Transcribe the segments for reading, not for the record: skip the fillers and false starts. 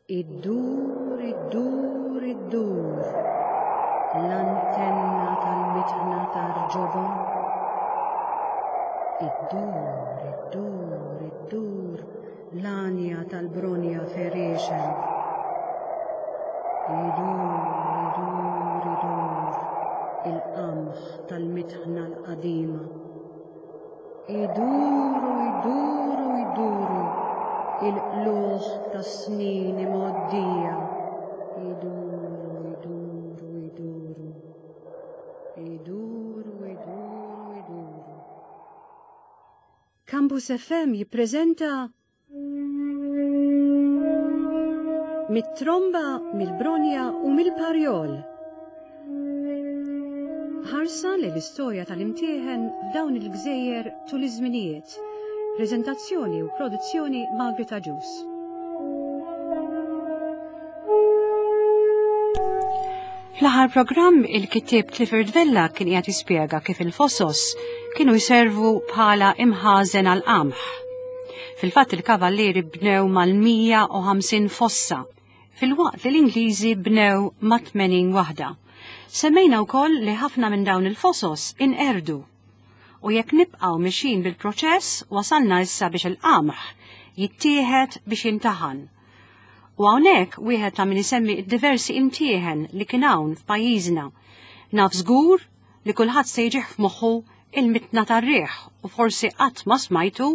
Iddur, iddur, iddur, l-antenna tal-mitħna tar-ġobon. Iddur, iddur, iddur, l-għanja tal-bronja ferixen. Idur, idur, idur, il-qamħ tal-mitħna l-qadima. Iduru, iduru, iduru, il-qlugħ tas-snin imgħoddija. Iduru, iduru, iduru. Iduru, iduru, iduru. Campus FM jippreżenta Mit-tromba, mill-bronja u mill-parjol. Ħarsa li l-istorja tal-imtieħen f'dawn il-gżejjer tul iż-żminijiet. Preżentazzjoni u produzzjoni Margaret Agius. Fl-aħħar programm il-kittieb Clifford Vella kien qiegħed jispjega kif il-fosos kienu jservu bħala imħażen għal qamħ. Fil-fatt il-kavallieri bnew mal-150 fossa, filwaqt li l-Ingliżi bnew ma' 80 waħda. Semmejna wkoll li ħafna minn dawn il-fosos inqerdu. U jekk nibqgħu mixjin bil-proċess wasalna issa biex il-qamħ jittieħed biex jintaħan. U hawnhekk wieħed ta' min isemmi d-diversi imtieħen li kien hawn f'pajjiżna. Naf żgur li kulħadd se jiġih f'moħħu il-mitna tar-riħ u forsi qatt ma smajtu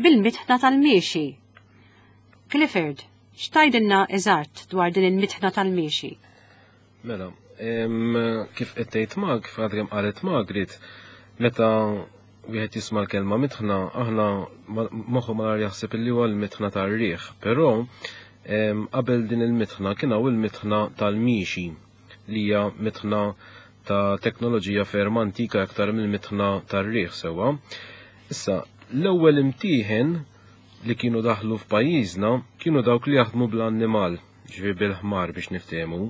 bil-mitħna tal-miexi. Clifford, x'tgħidilna eżatt dwar din il-mitħna tal-miexi? Mela, kif qed tgħid Mag, kif għadha kemm qalet Margaret, meta wieħed jisma' l-kelma mitħna, aħna moħħu malar jaħseb illi huwa l-mitħna tar-riħ, però qabel din il-mitħna kien hawn il-mitħna tal-miexi li hija mitħna ta' teknoloġija ferm antika aktar mill-mitħna tar-riħ sewwa. Issa, l-ewwel imtieħen li kienu daħlu f'pajjiżna kienu dawk li jaħdmu bl-annimal, ġifieri bil-ħmar biex niftehmu.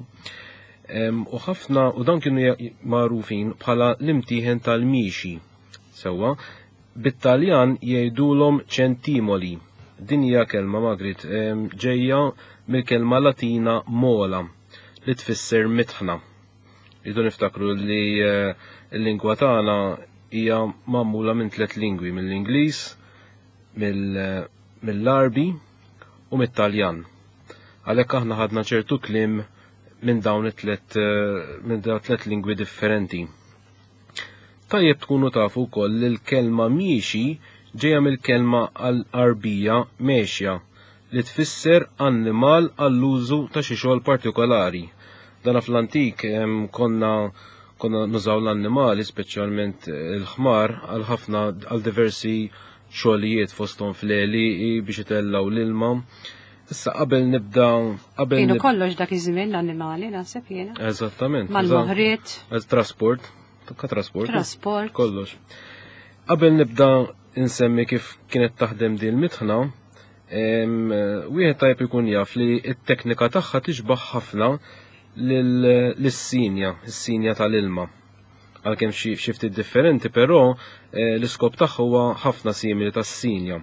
U ħafna u dawn kienu magħrufin bħala l-imtieħen tal-miexi. Sewwa, bit-Taljan jgħidulhom ċentimoli. Din hija kelma Magrit ġejja mill-kelma Latina mola li tfisser mitħna. Rridu niftakru li eh, l-lingwa tagħna hija magħmula minn tliet lingwi, mill-Ingliż, mill-Għarbi u mit-Taljan. Għalhekk aħna ħadna ċertu kliem minn dawn it-tlet eh, minn dawn tliet lingwi differenti. Tajjeb tkunu tafu wkoll li l-kelma miexi ġejja mill-kelma għal-Arbija mexja li tfisser annimal għall-użu ta' xi xogħol partikolari. Dana fl-antik konna konna nużaw l-annimali, speċjalment il-ħmar, għal ħafna għal diversi xogħlijiet fosthom fl-għelieqi biex itellgħu l-ilma. Issa qabel nibda qabel Kienu kollox dak iż-żmien l-annimali naħseb jiena. Eżattament. Mal-moħriet. Trasport, ka trasport. Trasport. Kollox. Qabel nibda insemmi kif kienet taħdem din il-mitħna, wieħed tajb ikun jaf li t-teknika tagħha tixbaħ ħafna lis-sinja, is-sinja tal-ilma. Għalkemm xi ftit differenti, però eh, l-iskop tagħha huwa ħafna simili tas-sinja.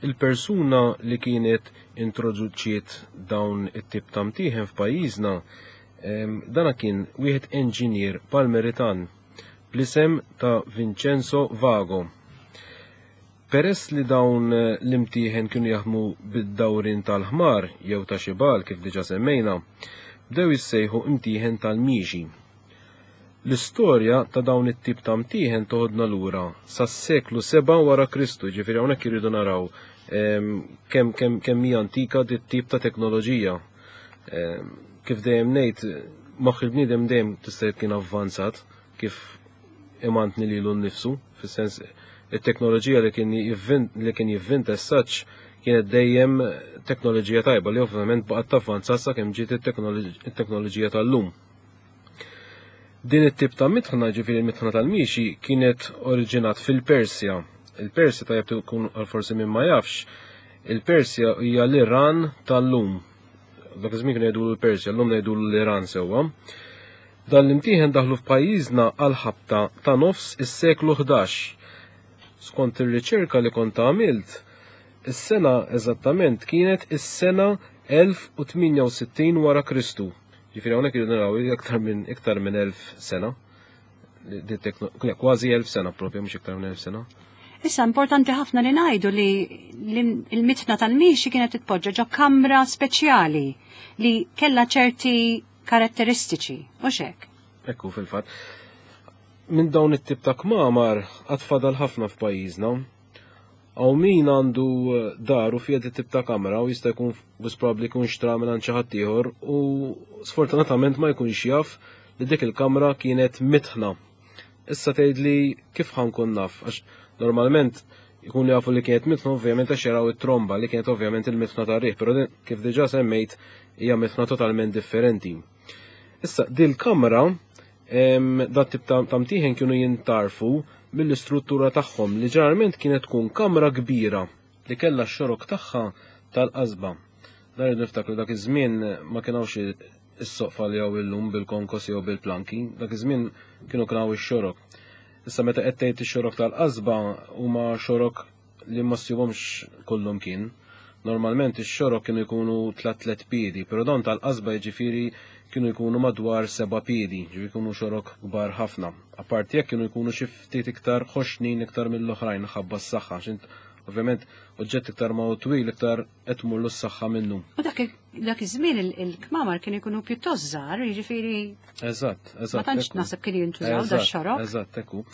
Il-persuna li kienet introduċiet dawn it-tip ta' mtieħen f'pajjiżna dana kien wieħed enġinier Palmeritan bl-isem ta' Vincenzo Vago. Peress li dawn l-imtieħen kienu jaħdmu bid-dawrien tal-ħmar jew ta' xi bagħal kif diġà semmejna, bdew jissejħu imtieħen tal-miexi. L-istorja ta' dawn it-tip ta' mtieħen toħodna lura sas-seklu 7 wara Kristu, ġifieri hawnhekk irridu naraw ehm, kemm kemm kemm hija antika dit tip ta' teknoloġija. Ehm, kif dejjem ngħid, moħħ il-bniedem dejjem tista' kien avvanzat kif imantni lilu nnifsu, fis-sens it-teknoloġija li kien li kien jivvinta as-such kienet dejjem teknoloġija tajba li ovvjament baqgħet tavvanza sakemm ġiet it-teknoloġija tal-lum. Din it-tip ta' mitħna, ġifieri l-mitħna tal-miexi, kienet oriġinat fil-Persja. Il-Persja tajjeb tkun għal forsi min ma jafx, il-Persja hija l-Iran tal-lum. Dak iż-żmien kienu jgħidu l-Persja, llum ngħidu l-Iran sewwa. Dan l-imtieħen daħlu f'pajjiżna għall-ħabta ta' nofs is-seklu 11. Skont ir-riċerka li kont għamilt, is-sena eżattament kienet is-sena 1068 wara Kristu. Ġifieri hawnhekk irridu naraw iktar minn iktar minn 1000 sena. Kważi 1000 sena propju, mhux iktar minn 1000 sena. Issa importanti ħafna li ngħidu li l-mitna tal-miexi kienet titpoġġa ġo kamra speċjali li kellha ċerti karatteristiċi, mhux hekk? Ekku fil-fatt. Minn dawn it-tip ta' kmamar għad fadal ħafna f'pajjiżna. Hawn min għandu eh, dar u fiha tip ta' kamra u jista' jkun wis probabbli jkun xtra minn għand xi ħadd ieħor u sfortunatament ma jkunx jaf li dik il-kamra kienet mitħna. Issa tgħidli kif ħankun naf għax normalment jkunu jafu li kienet mitħna ovvjament għax jaraw it-tromba li kienet ovvjament il-mitħna tar-riħ, però kif diġà semmejt hija mitħna totalment differenti. Issa dil-kamra Dat tip ta' mtieħen kienu jintarfu mill-istruttura tagħhom li ġeneralment kienet tkun kamra kbira li kellha x-xorok tagħha tal-qasba. Dan irridu niftakru dak iż-żmien ma kien hawnx is-soqfa li hawn illum bil-konkos jew bil-planki, dak iż-żmien kienu kien hawn ix-xorok. Issa meta qed tgħid ix-xorok tal-qasba huma xorok li ma ssibhomx kullumkien. Normalment ix-xorok kienu jkunu tlat piedi, però dawn tal-qasba jiġifieri kienu jkunu madwar seba' piedi, ġifieri jkunu xorok kbar ħafna. Apparti hekk kienu jkunu xi ftit iktar ħoxnin iktar mill-oħrajn ħabba s-saħħa, x'int ovvjament oġġett iktar ma hu twil iktar qed tmurlu s-saħħa minnu. U dak dak iż-żmien il-kmamar kienu jkunu pjuttost żgħar, jiġifieri Eżatt, eżatt. Ma tantx naħseb kien jintużaw da xorok. Eżatt, ekku.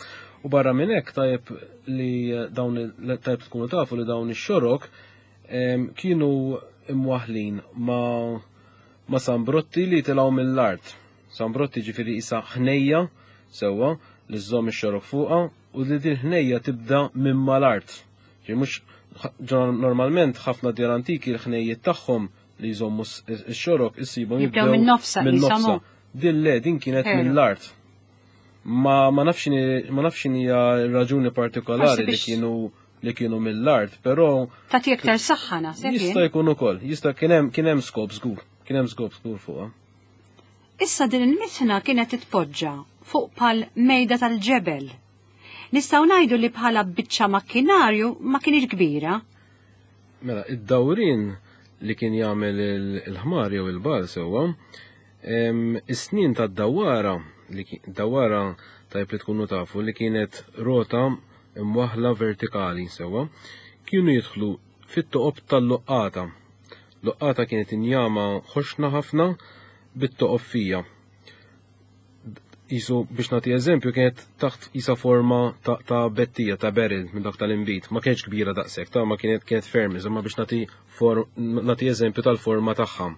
U barra minn hekk tajjeb li dawn tajjeb tkunu tafu li dawn ix-xorok kienu imwaħlin ma ma sambrotti li tilgħu mill-art. Sambrotti ġifieri isa ħnejja sewwa li żżomm ix-xorok fuqha u li din ħnejja tibda minn mal-art. Ġi mhux normalment ħafna djar antiki l-ħnejjiet tagħhom li jżommu x-xorok issibhom jibdew minn nofsa. Minn nofsa. Din le, din kienet mill-art. Ma ma nafx ma nafx hija raġuni partikolari li kienu li kienu mill-art, però Tagħti iktar saħħa naħseb. Jista' jkun ukoll, jista' kien hemm kien hemm skop żgur, kien hemm skop żgur fuqha. Issa din il-mitħna kienet titpoġġa fuq pal mejda tal-ġebel. Nistgħu ngħidu li bħala biċċa makkinarju ma kienx kbira. Mela, id-dawrien li kien jagħmel il-ħmar jew il-bal sewwa, is-snien tad-dawwara li dawwara tajb li tkunu tafu li kienet rota imwaħla vertikali sewwa, kienu jidħlu fit-toqob tal-luqqata. Luqqata kienet injama ħoxna ħafna bit-toqob fija. Jisu biex nagħti eżempju kienet taħt isa forma ta', ta bettija ta' barrel minn dak tal-inbid. Ma kienx kbira daqshekk, ta' ma kienet kienet ferm, iżda biex nagħti nagħti eżempju tal-forma tagħha.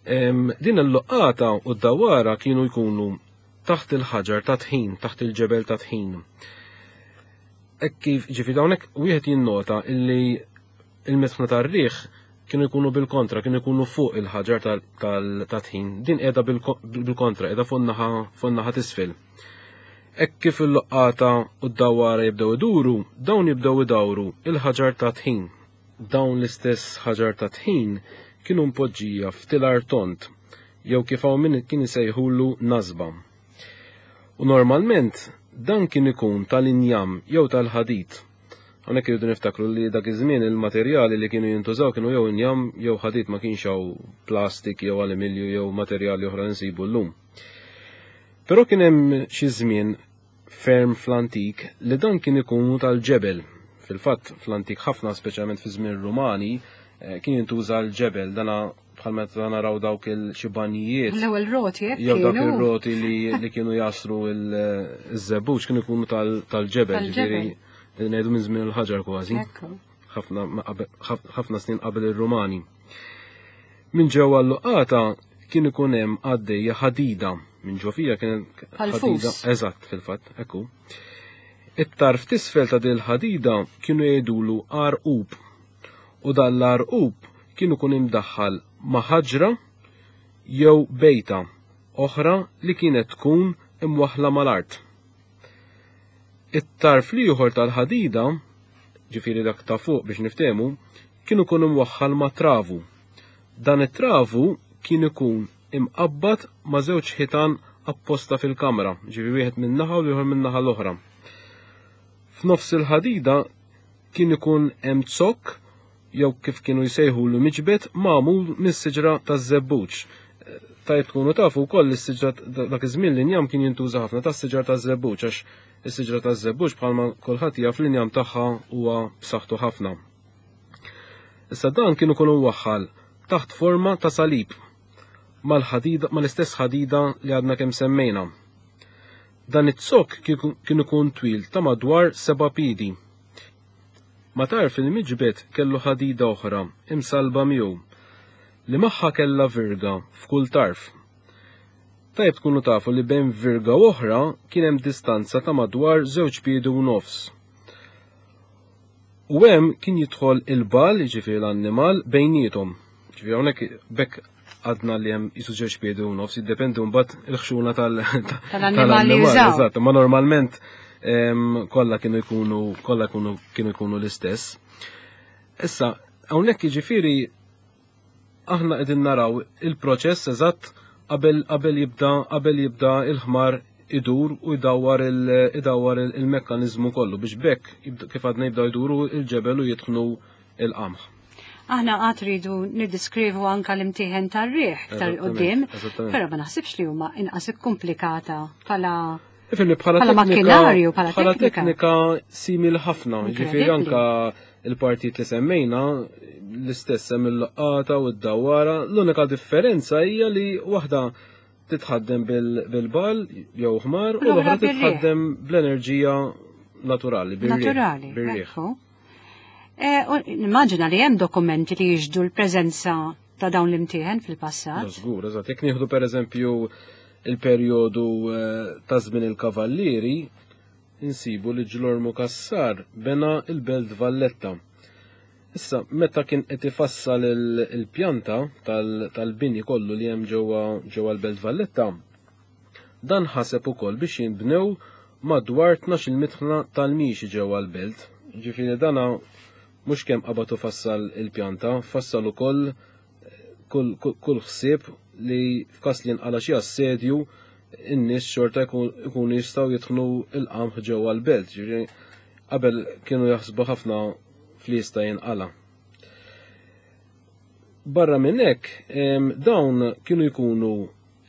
Din il-luqqata u d-dawara kienu jkunu taħt il-ħaġar ta' tħin, taħt il-ġebel ta' tħin. Hekk kif ġifi hawnhekk wieħed jinnota illi il-mitħna tar-riħ kienu jkunu bil-kontra, kienu jkunu fuq il-ħaġar tal-tħin. Din qiegħda bil-kontra, qiegħda fuq naħa t'isfel. Hekk kif il-loqqata u d-dawara jibdew iduru, dawn jibdew idawru il-ħaġar ta' tħin. Dawn l-istess ħaġar ta' tħin kienu mpoġġija f'tilar tond, jew kif hawn min kien isejħulu nasba. U normalment dan kien ikun tal-injam jew tal-ħadid. Hawnhekk irridu niftakru li dak iż-żmien il-materjali li kienu jintużaw kienu jew injam jew ħadid ma kienx hawn plastik jew alimilju jew materjali oħra li nsibu llum. Però kien hemm xi żmien ferm fl-antik li dan kien ikunu tal-ġebel. Fil-fatt fl-antik ħafna speċjalment fi żmien Rumani eh, kien jintuża l-ġebel dana bħal meta naraw dawk il-xi banjijiet. L-ewwel roti hekk. Jew dawk ir-roti li, li kienu jasru il-żebbuġ kienu jkunu tal-ġebel, ġifieri ngħidu minn żmien il-ħaġar kważi. Ħafna snin qabel ir-Rumani. Minn ġewwa l-luqata kien ikun hemm għaddejja ħadida minn ġo fija kien ħadida. Eżatt fil-fatt, ekku. It-tarf tisfel ta' dil ħadida kienu jgħidulu għarqub u dan l-għarqub kien ikun imdaħħal ma' ħaġra jew bejta oħra li kienet tkun imwaħħla mal-art. It-tarf l-ieħor tal-ħadida, ġifieri dak ta' fuq biex niftehmu, kien ikun imwaħħal ma' travu. Dan it-travu kien ikun imqabbad ma' żewġ ħitan apposta fil-kamra, ġifieri wieħed minn naħa u l-ieħor minn naħa l-oħra. F'nofs il-ħadida kien ikun hemm zokk. jew kif kienu jsejħulu miġbed magħmul mis-siġra taż-żebbuġ. Tajjeb tkunu tafu wkoll li s-siġra dak iż-żmien l-injam kien jintuża ħafna tas-siġar taż-żebbuġ għax is-siġra taż-żebbuġ bħalma kulħadd jaf l-injam tagħha huwa b'saħħtu ħafna. Issa dan kien ikun imwaħħal taħt forma ta' salib mal-ħadida mal-istess ħadida li għadna kemm semmejna. Dan iz-zokk kien ikun twil ta' madwar seba' piedi. Ma' tarf il-miġbed kellu ħadida oħra imsallba miegħu, li magħha kellha virga f'kull tarf. Tajjeb tkunu tafu li bejn virga u oħra kien hemm distanza ta' madwar żewġ piedi u nofs. U hemm kien jidħol il-bagħal, jiġifieri l-annimal, bejniethom. Ġifieri hawnhekk b'hekk għadna li hemm jisu żewġ piedi u nofs, jiddependi mbagħad il-ħxuna tal-annimal. Eżatt, ma normalment kollha kienu jkunu kollha kienu jkunu l-istess. Issa, hawnhekk jiġifieri aħna qegħdin naraw il-proċess eżatt qabel qabel jibda qabel jibda il-ħmar idur u jdawwar idawwar il-mekkaniżmu kollu biex bekk kif għadna jibda jduru il-ġebel u jitħnu il-qamħ. Aħna għad rridu niddiskrivu anka l-imtieħen tar-riħ iktar qudiem, però ma naħsibx li huma inqas ikkumplikata bħala Ifimni bħala makkinarju, bħala teknika simil ħafna, ġifieri anka il-partit li semmejna l-istess hemm il-laqata u d-dawara, l-unika differenza hija li waħda titħaddem bil-bal jew ħmar u l-oħra titħaddem bl-enerġija naturali, bil-riħ. Naturali, eh, nimmaġina li hemm dokumenti li jiġdu l-preżenza ta' dawn l-imtieħen fil-passat. Żgur, eżatt. Jekk nieħdu pereżempju il-perjodu eh, ta' żmien il-Kavallieri, insibu li Ġlormu Kassar bena il-Belt Valletta. Issa, meta kien qed ifassal il-pjanta tal-bini kollu li hemm ġewwa ġewwa l-Belt Valletta, dan ħaseb ukoll biex jinbnew madwar 12-il mitħna tal-mixi ġewwa l-belt. Ġifieri dana mhux kemm qabad u fassal il-pjanta, fassal ukoll kull, kull ħsieb li f'każ li jinqala xi assedju in-nies xorta jkunu jistgħu jidħnu l-qamħ ġewwa l-belt. Ġifieri qabel kienu jaħsbu ħafna fli jista' jinqala. Barra minn hekk, dawn kienu jkunu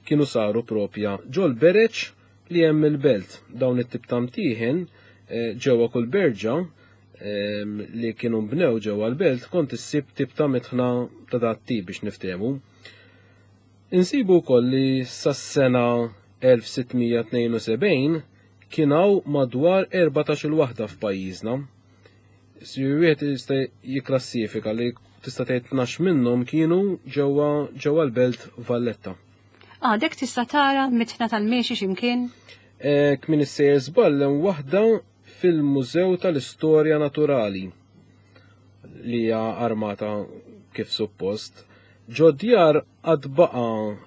kienu saru propja ġol bereċ li hemm il-belt. Dawn it-tip ta' mtieħen eh, ġewwa kull berġa li kienu nbnew ġewwa l-belt kont issib tip ta' mitħna ta' dat tip biex niftehmu. Insibu wkoll li sas-sena 1672 kien hawn madwar 14-il waħda f'pajjiżna. Wieħed jista' jikklassifika li tista' tgħid 12 minnhom kienu ġewwa ġewwa l-belt Valletta. Għadek tista' tara mitħna tal-miexi x'imkien? Eh, kmin issejjer żball hemm waħda fil-Mużew tal-Istorja Naturali li hija armata kif suppost. Ġo djar għad baqa,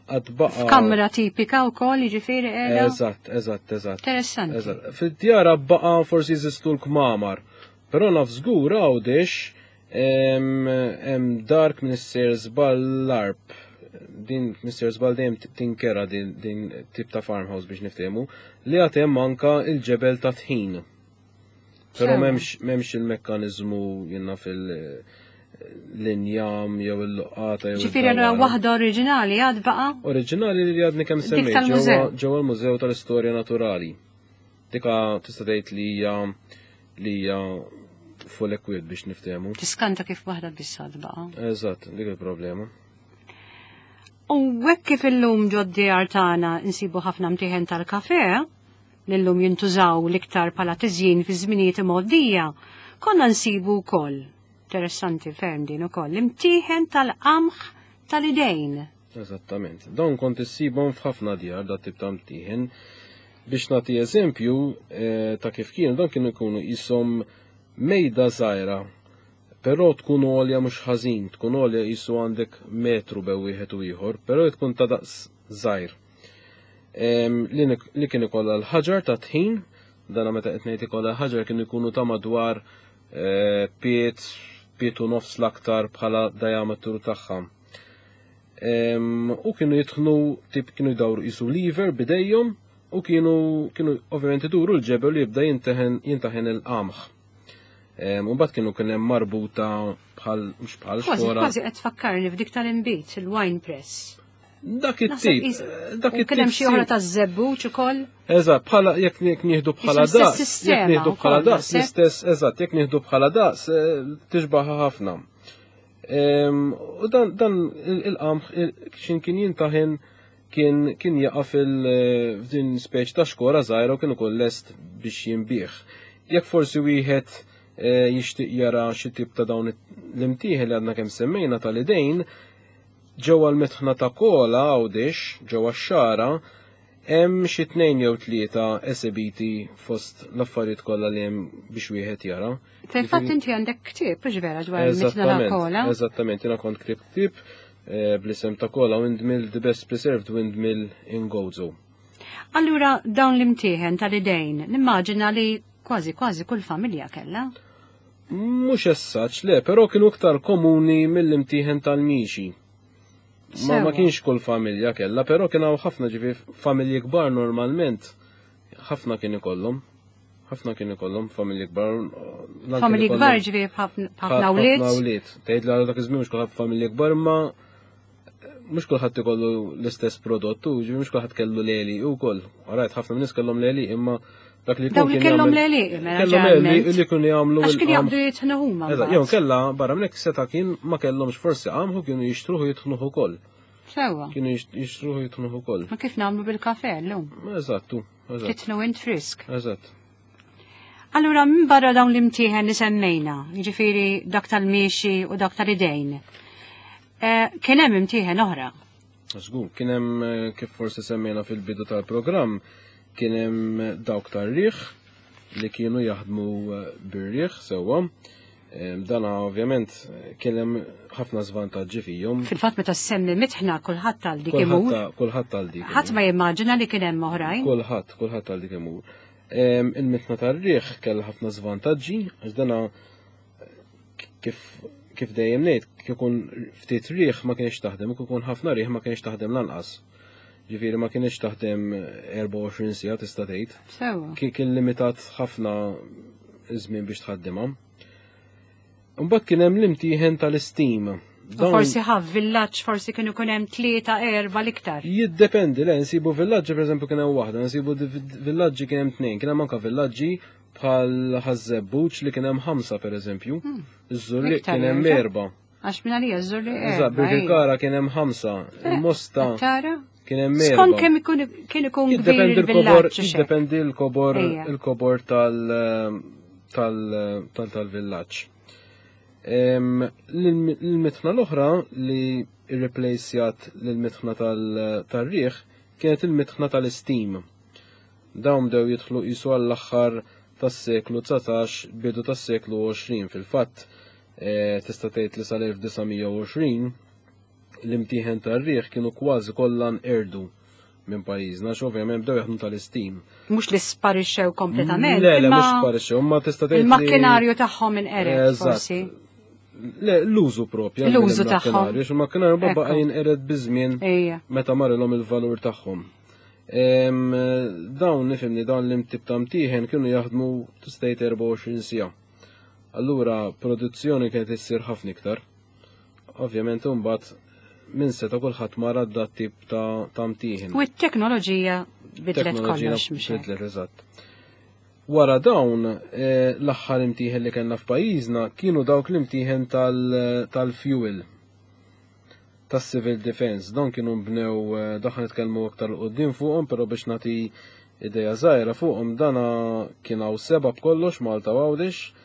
għad baqa. F'kamra tipika wkoll jiġifieri qiegħda. Eżatt, eżatt, eżatt. Interessanti. Eżatt. Fid-djar baqa forsi jeżistu l-kmamar, però naf żgur Għawdex hemm dark minn issejjer żball l-arb. Din Mr. Żball dejjem tinkera din, din tip ta' farmhouse biex niftehmu li għad hemm anka il-ġebel ta' tħin. Però m'hemmx il-mekkaniżmu jiena fil l-injam jew il-luqqata jew. Ġifieri allura waħda oriġinali għad baqa'? Oriġinali li għadni kemm semmejt ġewwa l-Mużew tal-Istorja Naturali. Dika tista' tgħid li hija li hija full equipped biex niftehmu. Tiskanta kif waħda biss għad baqa'. Eżatt, dik il-problema. U hekk kif illum ġod-djar tagħna nsibu ħafna mtieħen tal-kafe, li llum jintużaw l-iktar bħala tiżjin fi żminijiet imgħoddija, konna nsibu wkoll, interessanti ferm din ukoll, imtieħen tal-qamħ tal-idejn. Eżattament. Dawn kont issibhom f'ħafna djar dat tip ta' mtieħen. Biex nagħti eżempju eh, ta' kif kienu, dawn kienu jkunu qishom mejda żgħira Però tkun għolja mhux ħażin, tkun għolja qisu għandek metru bew wieħed u ieħor, però tkun ta' daqs żgħir. Li kien ikollha l-ħaġar ta' tħin, dana meta qed ngħid ikollha l-ħaġar kienu jkunu ta' madwar eh, piet, piet u nofs l-aktar bħala diametru tagħha. U kienu jitħnu tip kienu jdawru qisu lever bidejhom u kienu kienu ovvjament iduru l-ġebel u jibda jintaħen il-qamħ. U mbagħad kienu kien hemm marbuta bħal mhux bħal xkora. Kważi qed tfakkarni f'dik tal-inbid, il-wine press. Dak it-tip. Dak it-tip. Kien hemm xi oħra taż-żebbuġ ukoll. Eżatt, bħala jekk nieħdu bħala daqs. Jekk nieħdu bħala daqs, l-istess, eżatt, jekk nieħdu bħala daqs, eh, tixbaħ ħafna. U dan il-qamħ xin kien jintaħin kien kien jaqa' fil-din speċ ta' xkora żgħira u kien ukoll lest biex jinbih. Jekk forsi wieħed eh, jixtieq jara xi tip ta' dawn l-imtieħ li għadna kemm semmejna tal-idejn, ġewwa l-mitħna ta' Kola Għawdex, ġewwa x-Xagħra, hemm xi tnejn jew tlieta esebiti fost l-affarijiet kollha li hemm biex wieħed jara. Fil-fatt inti għandek ktieb, mhux vera dwar il-mitħna ta' Kola? Eżattament, jiena kont ktibt ktieb eh, bl-isem ta' Kola Windmill, the best preserved windmill in Gozo. Allura dawn l-imtieħen tal-idejn, nimmaġina li kważi kważi kull familja kellha. Mhux essaċ, le, però kienu iktar komuni mill-imtieħen tal-miexi. Ma, ma kienx kull familja kellha, però kien hawn ħafna ġifi familji kbar normalment ħafna kien ikollhom. Ħafna kien ikollhom familji kbar. Familji kbar ġifi ħafna wlied. Ħafna wlied. Tgħid li dak iż-żmien mhux kulħadd familji kbar ma mhux kulħadd ikollu l-istess prodott u ġifi mhux kulħadd kellu leli wkoll. Rajt ħafna nies kellhom leli imma dak li jkun kellhom leli, mela kellhom leli li kienu jagħmlu. Għax kien jaqbdu jitħnu huma. Eżatt, jew kellha barra minn hekk seta' kien ma kellhomx forsi qamħu kienu jixtruhu jitħnuh ukoll. Sewwa. Kienu jixtruhu jitħnuh ukoll. Ma kif nagħmlu bil-kafe llum? Eżattu, eżatt. Titħnu int frisk. Eżatt. Allura minn barra dawn l-imtieħen li semmejna, jiġifieri dak tal-miexi u dak tal-idejn, eh, kien hemm imtieħen oħra. Żgur, kien hemm eh, kif forsi semmejna fil-bidu tal-programm, kien hemm dawk tar-riħ li kienu jaħdmu eh, bir-riħ sewwa. Dana ovvjament kien hemm ħafna żvantaġġi fihom. Fil-fatt meta semmi mitħna kulħadd għal dik imur. Kulħadd għal dik. Ħadd ma jimmaġina li kien hemm oħrajn. Kulħadd, kulħadd għal dik imur. Il-mitna tar-riħ kellha ħafna żvantaġġi, għax dana kif kif dejjem ngħid, kif ikun ftit riħ ma kienx taħdem, kif ikun ħafna riħ ma kienx taħdem lanqas. Ġifieri ma kienx taħdem 24 siegħa tista' tgħid. Sewa. Kien limitat ħafna żmien biex tħaddimha. Imbagħad kien hemm l-imtieħen tal-istim. Forsi ħaf villaġġ, forsi kienu kun hemm tlieta erba' l-iktar. Jiddependi, le nsibu villaġġi pereżempju kien hemm waħda, nsibu villaġġi kien hemm tnejn, kien hemm anke villaġġi bħal Ħaż-Żebbuġ li kien hemm ħamsa pereżempju. Hmm. Iż-Żurrieq kien hemm erba'. Għax minn għalija ż-Żurrieq. Eżatt, Birkirkara kien hemm ħamsa, eh, il-Mosta kien hemm erba'. Skont kemm kien ikun kbir il-villaġġ. Jiddependi l-kobor il-kobor tal tal-villaġġ. L-mitħna l-oħra li irreplacjat l-mitħna tal-riħ kienet il-mitħna tal-istim. Dawn bdew jidħlu qisu għall-aħħar tas-seklu 19 bidu tas-seklu 20 fil-fatt eh, tista' tgħid li sal-1920 l-imtieħen tar-riħ kienu kważi kollha nqerdu minn pajjiżna, għax ovvjament bdew jaħdmu tal-istim. Mhux li sparixxew kompletament. Le, le, mhux sparixxew, ma tista' tgħid. Il-makkinarju tagħhom inqered forsi. Le, l-użu propju. L-użu tagħhom. Il-makkinarju baqa' jinqered biż-żmien meta marilhom il-valur tagħhom. Dawn nifimni dawn l-imtib ta' mtieħen kienu jaħdmu tista' tgħid 24 siegħa. Allura produzzjoni kienet issir ħafna iktar. Ovvjament imbagħad minn seta' kulħadd mar għad tip ta' mtieħen. U t-teknoloġija bidlet kollox mhux Bidlet eżatt. Wara dawn eh, l-aħħar imtieħen li kellna f'pajjiżna kienu dawk l-imtieħen tal-fuel tas-civil defense. Dawn kienu nbnew eh, daħ nitkellmu aktar l qudiem fuqhom, però biex nagħti ideja żgħira fuqhom dana kien hawn seba' b'kollox Malta Għawdex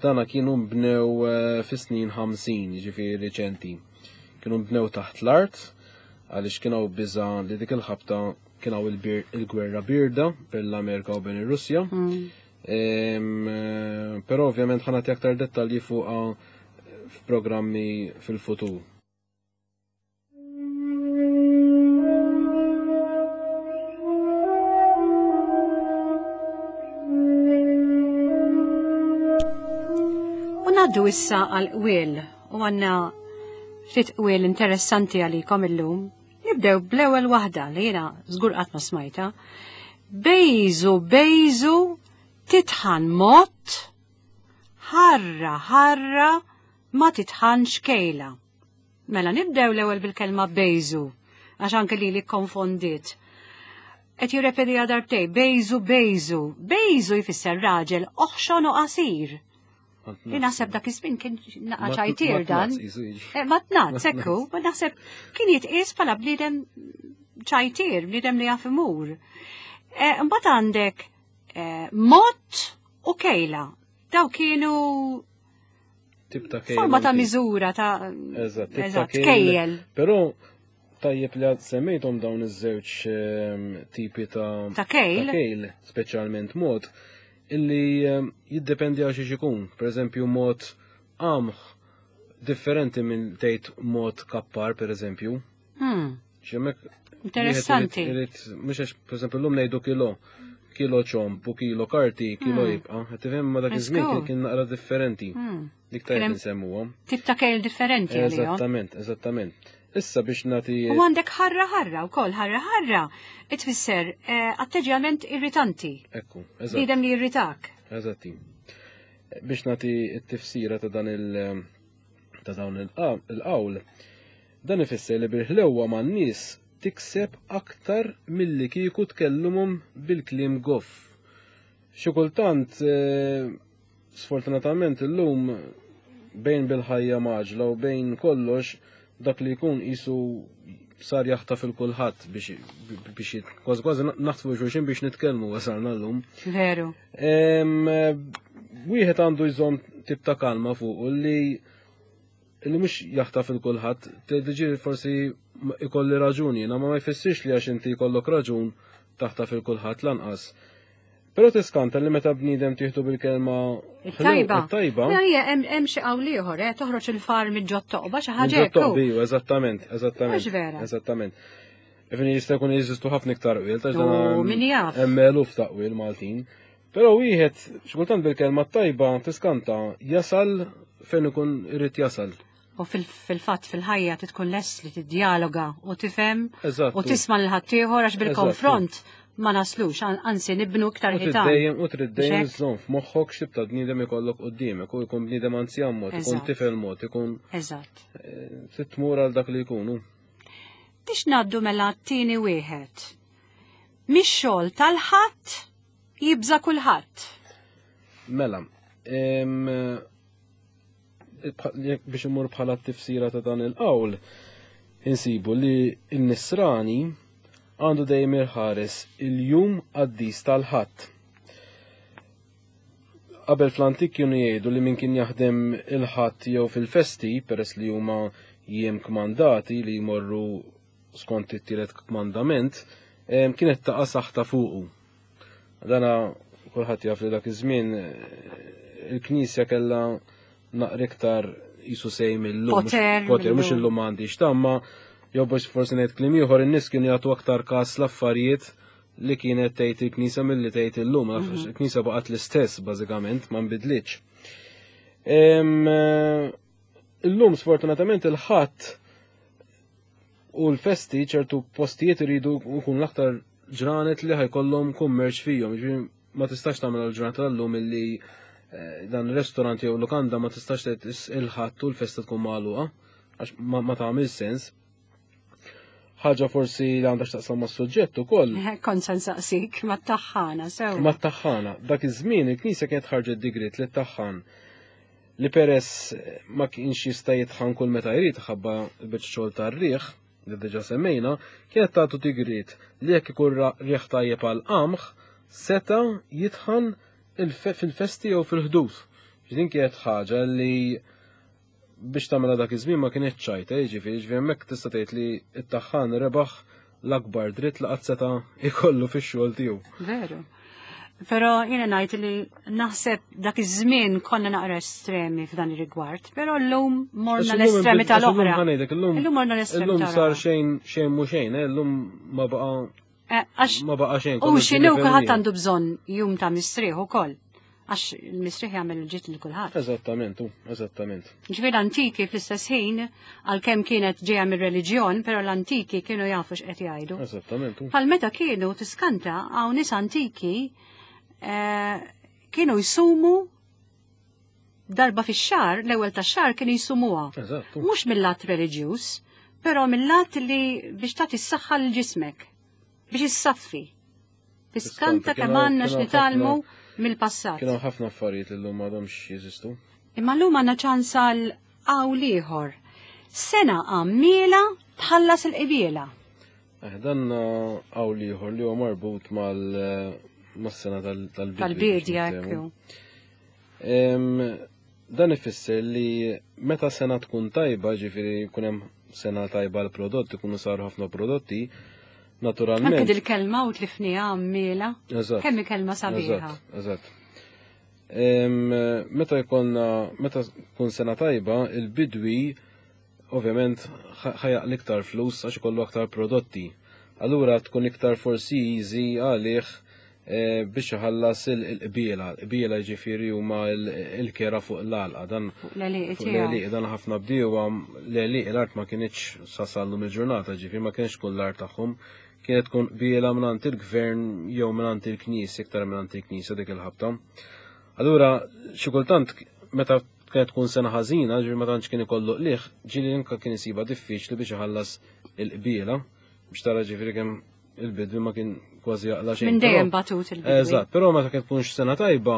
Dana kienu nbnew eh, fis-snin 50, jiġifieri riċenti. Kienu nbnew taħt l-art għaliex kien hawn biża' li dik il-ħabta kien hawn il-gwerra birda bejn l-Amerika u bejn ir-Russja. Mm. Eh, però ovvjament ħanati aktar dettalji fuqha f'programmi fil-futur. U naddu issa għal qwiel u għanna ftit qwiel interessanti għalikom illum. Nibdew bl-ewwel waħda li jiena żgur qatt ma smajta. Bejżu bejżu titħan mott. Ħarra, ħarra, ma titħanx kejla. Mela nibdew l-ewwel bil-kelma bejżu, għax anke lili kkonfondiet. Qed jirrepetiha darbtej, bejżu, bejżu. Bejżu jfisser raġel oħxon u qasir. Li naħseb dak iż-żmien kien naqa' ċajtier dan. Eh, ma tnazz, ekku, ma naħseb kien jitqies bħala bniedem ċajtier, bniedem li jaf imur. Eh, mbagħad għandek eh, mott u kejla. Daw kienu tip ta' kejl. Forma ta' miżura ta' Eżatt, tip ta' kejl. Però tajjeb li għad semmejthom dawn iż-żewġ ehm, tipi ta' ta' kejl. Ta' kejl, speċjalment mod illi ehm, jiddependi għal xiex ikun. Per eżempju, mod qamħ differenti minn tgħid mod kappar, per eżempju. Xemmek Interessanti. Mhux għax pereżempju llum ngħidu kilo, kilo ċomp u kilo karti, kilo hmm. jibqa'. Qed tifhem ma dak iż-żmien kien kien naqra differenti. Hmm. Dik tajjeb nsemmuhom. Tip ta' kejl differenti. Eżattament, eżattament. Issa biex nagħti. U għandek ħarra ħarra wkoll ħarra ħarra tfisser eh, atteġġjament irritanti. Ekku, eżatt. Bniedem li jirritak. Eżatti. Biex nagħti t-tifsira ta' dan il- ta' dawn il-qawl, dan ifisser li bil-ħlewwa man-nies tikseb aktar milli kieku tkellumhom bil-kliem goff. Xi kultant, eh, sfortunatament illum bejn bil-ħajja maġla u bejn kollox dak li jkun qisu sar jaħtaf il kulħadd biex biex kważi kważi naħtfu xulxin biex nitkellmu wasalna llum. Veru. Wieħed għandu jżomm tip ta' kalma fuq u li li mhux jaħtaf il kulħadd, tiġi forsi ikolli raġuni, ma ma jfissirx li għax inti jkollok raġun taħtaf il kulħadd lanqas. Però tiskanta li meta bniedem tieħdu bil-kelma tajba. Tajba. Hija hemm xi qawl ieħor, eh, toħroġ il-far minn ġot toqba xi ħaġa hekk. Toqba, eżattament, eżattament. Vera. Eżattament. Ifni jista' jkun jeżistu ħafna iktar qwiel, ta' dan min jaf. Hemm eluf ta' qwiel Maltin. Però wieħed xi kultant bil-kelma tajba tiskanta jasal fejn ikun irid jasal. U fil-fatt fil-ħajja titkun lest li tiddialoga u tifhem u tisma' lil ħaddieħor għax bil-konfront ma naslux, anzi nibnu iktar ħitan. Dejjem u trid dejjem żżomm f'moħħok x'tib ta' bniedem ikollok quddiemek u jkun bniedem anzjan mod, ikun tifel mod, ikun. Eżatt. Eh, trid tmur għal dak li jkunu. Biex ngħaddu mela t-tieni wieħed. Mix-xogħol tal-ħadd jibża' kulħadd. Mela, biex imur bħala t-tifsira ta' dan il-qawl, insibu li n-nisrani għandu dejjem irħares il-jum qaddis tal-ħadd. Qabel fl-antik kienu jgħidu li min kien jaħdem il-ħadd jew fil-festi, peress li huma jiem kmandati li jmorru skont it-tielet kmandament, kienet taqa' saħta fuqu. Dana kulħadd jaf li dak iż-żmien eh, il-Knisja kellha naqra iktar jisu sej mill-lum. Poter. Poter, mhux illum m'għandix tamma, jew biex forsi ngħid kliem ieħor in-nies kienu jagħtu aktar każ l-affarijiet li kienet tgħid il-Knisja milli tgħid illum. Mhm. Il-Knisja baqgħet l-istess bażikament, ma nbidlitx. Eh, illum sfortunatament il-ħadd U l-festi ċertu postijiet iridu jkun l-aktar ġranet li ħajkollhom kummerċ fihom. Jiġifieri ma tistax tagħmel għal-ġurnata tal-lum illi eh, dan restaurant jew lukanda ma tistax tgħid il-ħadd u l-festa tkun magħluqa għax ma tagħmel sens. Ħaġa forsi li għandha x'taqsam mas-suġġett ukoll. Kont se nsaqsik mat-taħħana sew. Mat-taħħana. Dak iż-żmien il-Knisja kienet ħarġet digrit li t-taħħan li peress ma kienx jista' jitħan kull meta jrid ħabba l-biċċa xogħol tar-riħ li diġà semmejna, kienet tagħtu digriet li jekk ikun riħ tajjeb għal qamħ seta' jitħan fil-festi jew fil-ħdud. Din kienet ħaġa li biex tagħmilha dak iż-żmien ma kienet ċajta, jiġifieri jiġifieri hemmhekk tista' tgħid li t-taħħan rebaħ l-akbar dritt li qatt seta' jkollu fix-xogħol tiegħu. Veru. Però jiena ngħid li naħseb dak iż-żmien konna naqra estremi f'dan ir-rigward, però llum morna l-estremi tal-oħra. Illum morna l-estremi. Illum sar xejn xejn mhu xejn, eh, illum ma baqa' eh, ma baqa' xejn. U x'inhu kulħadd għandu bżonn jum ta' mistrieħ ukoll. Għax il-mistrieħ jagħmel il-ġid lil kulħadd. Eżattament, eżattament. Ġifieri l-antiki fl-istess ħin, għalkemm kienet ġejja mir-reliġjon, però l-antiki kienu jafu x'qed jgħidu. Eżattament. Bħal meta kienu tiskanta hawn nies antiki eh, kienu jsumu Darba fix-xahar, l-ewwel tax-xahar kienu jsumuha. Mhux mill-lat reliġjuż, però mill-lat li biex tagħti s-saħħa lil ġismek, biex issaffi. Tiskanta kemm għandna x'nitgħallmu mill-passat. Kienu ħafna affarijiet li llum m'għadhomx jeżistu. Imma llum għandna ċans għal qawl ieħor. Sena għammiela tħallas il-qbiela. Eh, dan qawl ieħor li huwa marbut mal mas-sena tal-bidja. Tal-bidja, ekku. Dan ifisser li meta sena tkun tajba, ġifieri jkun hemm sena tajba l-prodott, ikunu saru ħafna prodotti, naturalment. Anke dil-kelma u tlifniha għammiela. Eżatt. Kemm kelma sabiħa. Eżatt. Meta jkollna, meta tkun sena tajba, il-bidwi ovvjament ħajaq l-iktar flus għax ikollu aktar prodotti. Allura tkun iktar forsi easy għalih eh, biex iħallas il-qbiela. Il-qbiela ġifieri huma l-kera fuq l-għalqa. Dan l-għelieqi dan ħafna bdiewa l-għelieqi l-art ma kinitx sasallum il-ġurnata ġifieri ma kienx tkun l-art tagħhom. Kienet tkun qbiela mingħand il-gvern jew mingħand il-knisja iktar mingħand il-knisja dik il-ħabta. Allura xi kultant meta Kienet tkun sena ħażina, ġifieri ma tantx kien ikollu qligħ, ġieli anke kien isibha diffiċli biex iħallas il-qbiela, biex tara ġifieri kemm il-bidwi ma kien kważi jaqla' xejn. Minn dejjem batut il-bidwi. Eżatt, però meta kien tkunx sena tajba,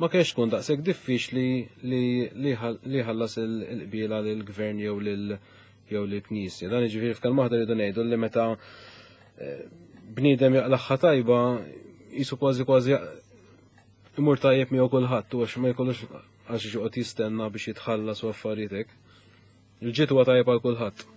ma kienx tkun daqshekk diffiċli li jħallas il-qbiela lill-gvern jew lil jew lill-knisja. Dan jiġifieri f'kelma waħda rridu ngħidu li meta eh, bniedem jaqlaħħa tajba jisu kważi kważi imur tajjeb miegħu kulħadd u għax ma jkollux għax joqgħod jistenna biex jitħallas u affarijiet hekk. Il-ġid huwa tajjeb għal kulħadd.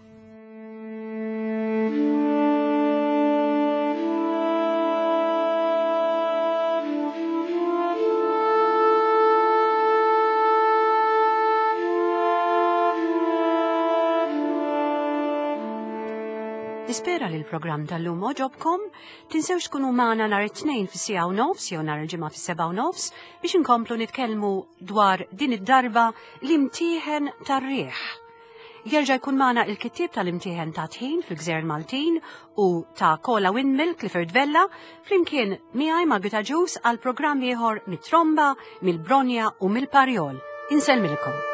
Nispera li l-programm tal-lum oġobkom. Tinsewx tkunu magħna nhar it-Tnejn fis-siegħa u nofs jew nhar il-Ġimgħa fis-sebgħa u nofs biex inkomplu nitkellmu dwar din id-darba l-imtieħen tar-riħ. Jerġa' jkun magħna il-kittieb tal-imtieħen ta' tħin fil-Gżejjer Maltin u ta' Kola Windmill Clifford Vella flimkien miegħi Margit Agius għal programm ieħor mit-tromba, mill-bronja u mill-parjol. Insellmilkom.